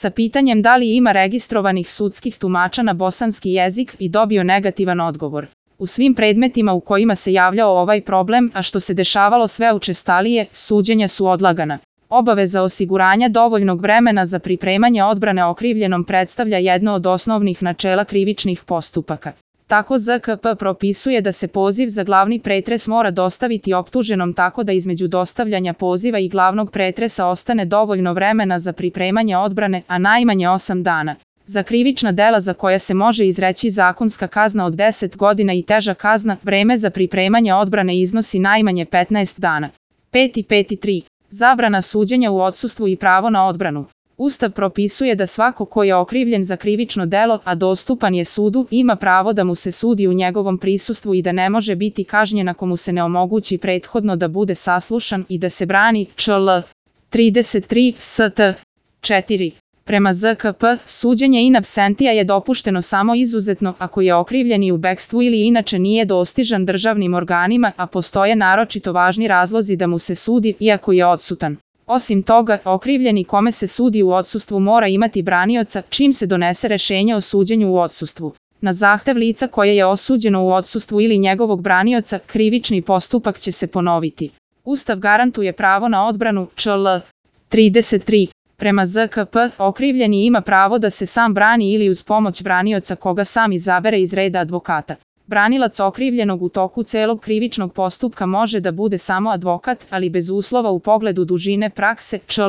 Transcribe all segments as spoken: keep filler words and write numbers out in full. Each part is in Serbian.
sa pitanjem da li ima registrovanih sudskih tumača na bosanski jezik i dobio negativan odgovor. U svim predmetima u kojima se javljao ovaj problem, a što se dešavalo sve učestalije, suđenja su odlagana. Obaveza osiguranja dovoljnog vremena za pripremanje odbrane okrivljenom predstavlja jedno od osnovnih načela krivičnih postupaka. Tako Z K P propisuje da se poziv za glavni pretres mora dostaviti optuženom tako da između dostavljanja poziva i glavnog pretresa ostane dovoljno vremena za pripremanje odbrane, a najmanje osam dana. Za krivična dela za koja se može izreći zakonska kazna od deset godina i teža kazna, vreme za pripremanje odbrane iznosi najmanje petnaest dana. pet i pet i tri. Zabrana suđenja u odsustvu i pravo na odbranu. Ustav propisuje da svako ko je okrivljen za krivično delo, a dostupan je sudu, ima pravo da mu se sudi u njegovom prisustvu i da ne može biti kažnjen ako mu se ne omogući prethodno da bude saslušan i da se brani. Čl. trideset tri S T četiri. Prema Z K P, suđenje in absentia je dopušteno samo izuzetno ako je okrivljeni u bekstvu ili inače nije dostižan državnim organima, a postoje naročito važni razlozi da mu se sudi, iako je odsutan. Osim toga, okrivljeni kome se sudi u odsustvu mora imati branioca čim se donese rešenje o suđenju u odsustvu. Na zahtev lica koje je osuđeno u odsustvu ili njegovog branioca, krivični postupak će se ponoviti. Ustav garantuje pravo na odbranu. Čl. trideset tri. Prema Z K P, okrivljeni ima pravo da se sam brani ili uz pomoć branioca koga sam izabere iz reda advokata. Branilac okrivljenog u toku celog krivičnog postupka može da bude samo advokat, ali bez uslova u pogledu dužine prakse. Čl.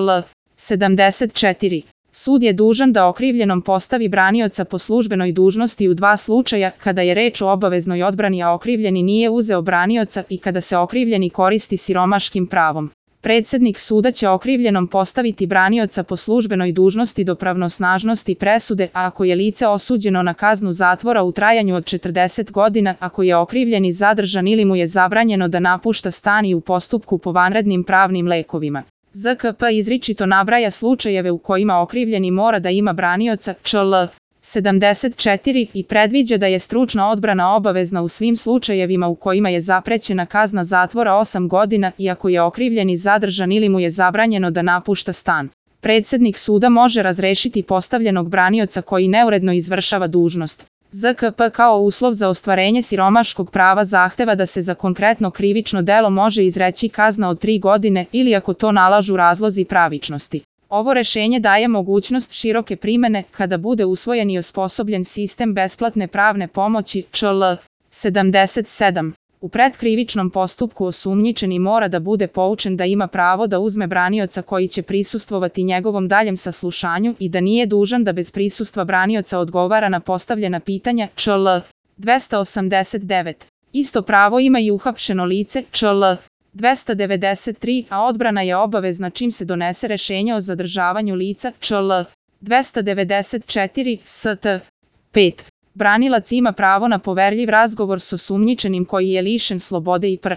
sedamdeset četiri. Sud je dužan da okrivljenom postavi branioca po službenoj dužnosti u dva slučaja, kada je reč o obaveznoj odbrani a okrivljeni nije uzeo branioca i kada se okrivljeni koristi siromaškim pravom. Predsednik suda će okrivljenom postaviti branioca po službenoj dužnosti do pravnosnažnosti presude, a ako je lice osuđeno na kaznu zatvora u trajanju od četrdeset godina, ako je okrivljeni zadržan ili mu je zabranjeno da napušta stan i u postupku po vanrednim pravnim lekovima. Z K P izričito nabraja slučajeve u kojima okrivljeni mora da ima branioca. Čl. sedamdeset četiri. I predviđa da je stručna odbrana obavezna u svim slučajevima u kojima je zaprećena kazna zatvora osam godina i ako je okrivljeni zadržan ili mu je zabranjeno da napušta stan. Predsednik suda može razrešiti postavljenog branioca koji neuredno izvršava dužnost. Z K P kao uslov za ostvarenje siromaškog prava zahteva da se za konkretno krivično delo može izreći kazna od tri godine ili ako to nalažu razlozi pravičnosti. Ovo rešenje daje mogućnost široke primene kada bude usvojen i osposobljen sistem besplatne pravne pomoći. Čl. sedamdeset sedam. U predkrivičnom postupku osumnjičeni mora da bude poučen da ima pravo da uzme branioca koji će prisustvovati njegovom daljem saslušanju i da nije dužan da bez prisustva branioca odgovara na postavljena pitanja. Čl. dvesta osamdeset devet. Isto pravo ima i uhapšeno lice. Čl. dvesta devedeset tri, a odbrana je obavezna čim se donese rešenje o zadržavanju lica. Čl. dvesta devedeset četiri S T pet. Branilac ima pravo na poverljiv razgovor s osumnjičenim koji je lišen slobode i pr.